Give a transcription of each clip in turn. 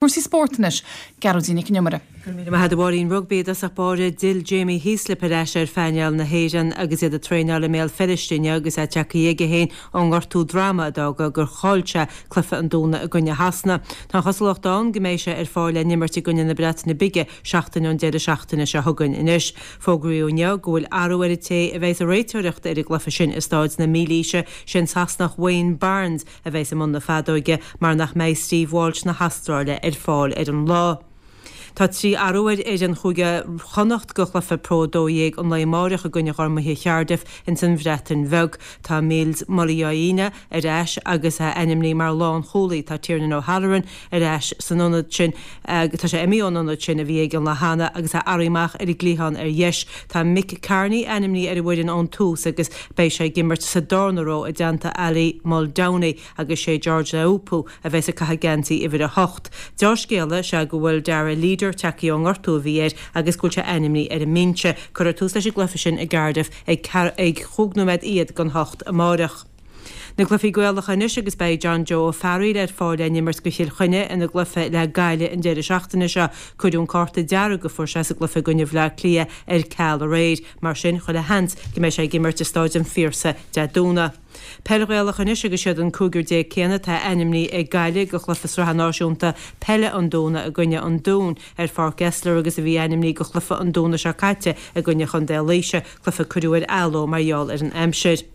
Cúrsaí spóirt anois, Gearóidín Nic an Iomaire. Go raibh míle maith agat a Mháirín. Rugbaí i dtosach báire, D'fhill Jamie Heaslip ar ais ar phainéal na hÉireann agus iad ag traenáil i mBéal Feirste inniu agus é tagtha aige féin ón ngortú droma a d'fhág gur chaill sé cluiche an Domhnaigh i gcoinne Shasana. Tá an chosúlacht ann go mbeidh sé ar fáil le n-imirt i gcoinne na Breataine Bige seachtain ón deireadh seachtaine seo chugainn anois. Fógraíodh inniu go bhfuil athrú ar an té a bheidh ag réiteoireacht ar an gcluiche sin i Stáid na Mílaoise, sé an Sasanach Wayne Barnes a bheas i mbun na feadóige mar nach mbeidh Steve Walsh na hAstráile ar fáil ar an lá. Tá 3 athrú ar fhoireann Chúige Chonnacht go chluiche Pro 12 an lae amáireach i gcoinne Ghormaithe Chardiff ins an Bhreatain Bheag. Tá Mils Muliaina ar ais agus é ainmnithe mar lánchúlaí. Tá Tiernan O'Halloran ar ais san ionad sin tá sé imithe ón ionad sin a bhí aige an lá cheana agus é athraithe amach ar an gcliathán ar dheis. Tá Mick Kearney ainmnithe ar an bhfoireann ón tús agus beidh sé ag imirt sa darna ró i dteannta Ali Muldowney agus sé George Naoupu a bheas ag caitheamh geansaí uimhir 8. Deá-scéala is ea go bhfuil Darragh Leader tagtha ón ngortú a bhí air agus go bhfuil sé ainmnithe ar an mbinse. Cuirfear tús leis an gcluiche sin i gCardiff ag chúig nóiméad fhichead don hocht amáireach. Na cluichí Gaelacha anois agus beidh John Joe Ó Fearghaíl ar fáil le n-imirt go Chill Chainnigh ina gcluiche le Gaillimh an deireadh seachtaine seo. Cuireadh an cárta dearg a fuair sé sa gcluiche i gcoinne Bhaile Átha Cliath ar ceal aréir. Mar sin, chuile sheans go mbeidh sé ag imirt i Stáid an Phiarsaigh Dé Domhnaigh. Peil Ghaelach anois agus siad an cúigear céanna atá ainmnithe ag Gaillimh go chluiche sraithe náisiúnta peile an Domhnaigh i gcoinne an Dúin ar Pháirc Esler agus a bhí ainmnithe go chluiche an Domhnaigh seo caite i gcoinne Chontae Laoise, cluiche a cuireadh ar athló mar gheall ar an aimsir.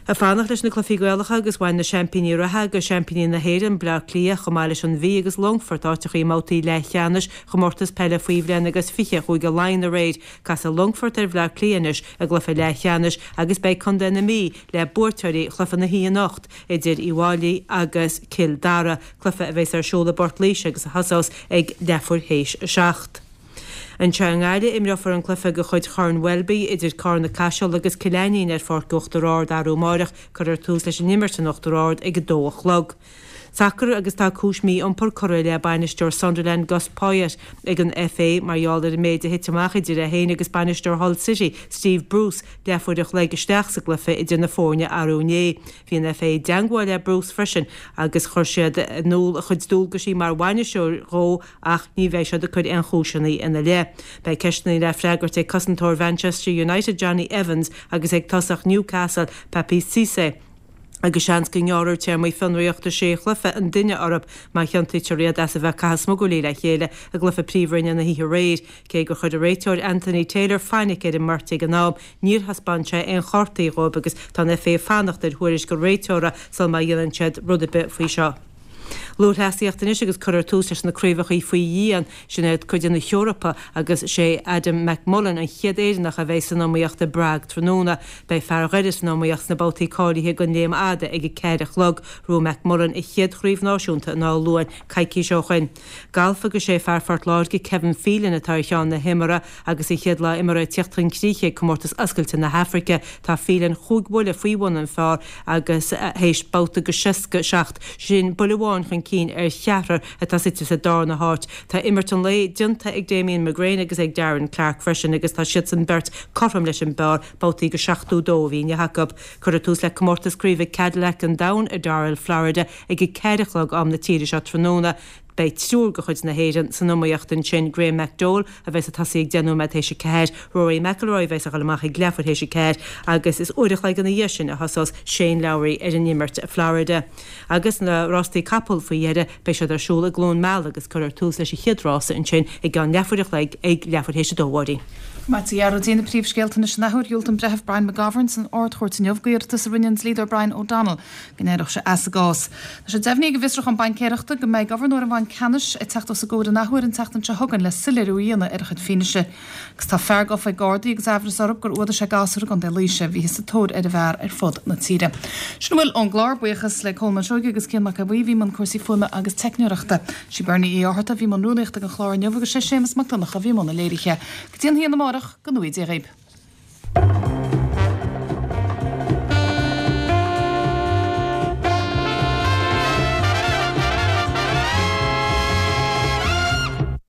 Ag fanacht leis na cluichí Gaelacha agus bhain na seaimpíní reatha agus seaimpíní na hÉireann, Bleá Cliath, chomh maith leis an Mhí agus Longfort áiteacha i mbabhtaí leathcheannais Chomórtas Peile Faoi Bhliain agus 20 Chúige Laighean aréir. Casfaidh Longfort ar Bhleá Cliath anois i gcluiche leathcheannais agus beidh Contae na Mí le buaiteoirí chluiche na hoíche anocht idir Uíbh Fhailí agus Cill Dara, cluiche a bheas ar siúl i bPort Laoise agus a thosós ag leathuair théis a 7. Anseo i nGaillimh, imreofar an cluiche de chuid Chorn Welby idir Carna Caiseal agus Cill Ainnín ar Pháirc Uachtar Ard arú amáireach. Cuirfear tús leis an imirt in Uachtar Ard ag 2 a chlog. Sacar agus tá cúis mí-iompair curtha i leith bainisteoir Sunderland Gus Poyet ag an FA mar gheall ar an méid a thit amach idir é féin agus bainisteoir Hull City, Steve Bruce, leathuair a chloig isteach sa gcluiche idir na foirne arú inné. Bhí an FA i dteangmháil le Bruce freisin agus chuir siad in iúl a chuid dualgaisí mar bhainisteoir dhó Ach ní bheidh siad ag cur aon chúiseanna ina leith. Beidh ceisteanna le freagairt ag cosantóir Mhanchester United Jonny Evans agus ag tosach Newcastle Papiss Cisse agus seans go ngearrfar téarmaí fionraíochta sé chluiche an duine orthu má chiontaítear iad as a bheith ag caitheamh smugairlí le chéile i gcluiche Príomhroinne na hoíche aréir. Cé gur chuir an réiteoir Anthony Taylor fainic ar an mbeirt ag an am, níor thaispeáin sé aon chártaí dhóibh agus tá an FA ag fanacht ar thuairisc an réiteora sul má dhéanann siad rud ar bith faoi seo. Lúthchleasaíocht anois agus cuirfear tús leis na craobhacha faoi dhíon, sin iad cuid de na hEorpa agus sé Adam McMullen an chéad Éireannach a bheidh san iomaíocht i bPrague tráthnóna. Beidh fear Dhoire san iomaíocht sna babhtaí cáilithe don léim fhada ag 4 a chlog. Ghnóthaigh McMullen a chéad chraobh náisiúnta in Áth Luain coicís ó shoin. Galf agus sé fear Phort Láirge Kevin Phelan atá ar cheann na himeartha agus a chéad lá imeartha ag tíocht chun críche ag Comórtas Oscailte na hAfraice. Tá Phelan chúig bhuille faoi bhun an phar agus théis babhta go 67, sin buille amháin chun cinn ar cheathrar atá suite sa darna háit. Tá imirt an lae déanta ag Damien McGrane agus ag Darren Clarke freisin agus tá siadsan beirt cothrom leis an bpar, babhtaí go 72 a bhí inniu acu. Cuirfear tús le Comórtas Craoibhe Cadillac an Domhain i Doral, Florida ag 4 a chlog am na tíre seo tráthnóna. Beidh triúr de chuid na hÉireann san iomaíocht ansin, Graham McDowell a bheas ag tosaí ag 10 nóiméad théis 4, Rory McIlroy a bheas ag dul amach ag leathuair théis 4 agus is uair a chloig ina dhiaidh sin a thosós Shane Lowry ar an imirt i Florida. Agus na rástaí capall faoi dheireadh, beidh siad ar siúl i gCluain Meala agus cuirfear tús leis an chéad rása ansin i gceann leathuair a chloig ag leathuair théis 2, a Mháirín. Maith a Ghearóidín, na príomhscéalta anois an athuair. Dhiúltaigh an Breitheamh Brian McGovern san Ard-Chúirt inniu d'iarratas a rinne an dlíodóir Brian O'Donnell go n-éireodh sé as an gcás. Tá sé deimhnithe ag an bhFiosrúchán Baincéireachta go mbeidh Gobharnóir an Bhainc Ceannais ag teacht os a gcomhair an athuair an tseachtain seo chugainn le soiléiriú a dhéanamh ar a chuid fianaise. Agus tá fear gafa ag Gardaí agus aimhreas orthu gur fhuadaigh sé gasúr i gContae Laoise. Bhíothas sa tóir ar an bhfear ar fud na tíre. Sin a bhfuil ón gclár. Buíochas le Colmán Seoige agus Cian Mac Aodha Bhuí a bhí i mbun cúrsaí fuaime agus teicneoireachta. Sí Bernie Uí Fhátharta a bhí i mbun rúnaíochta don chlár inniu agus sé Séamus Mac Donncha a bhí i mbun an léirithe. Go dtí an haon amárach, go ngnóthaí Dia dhaoib.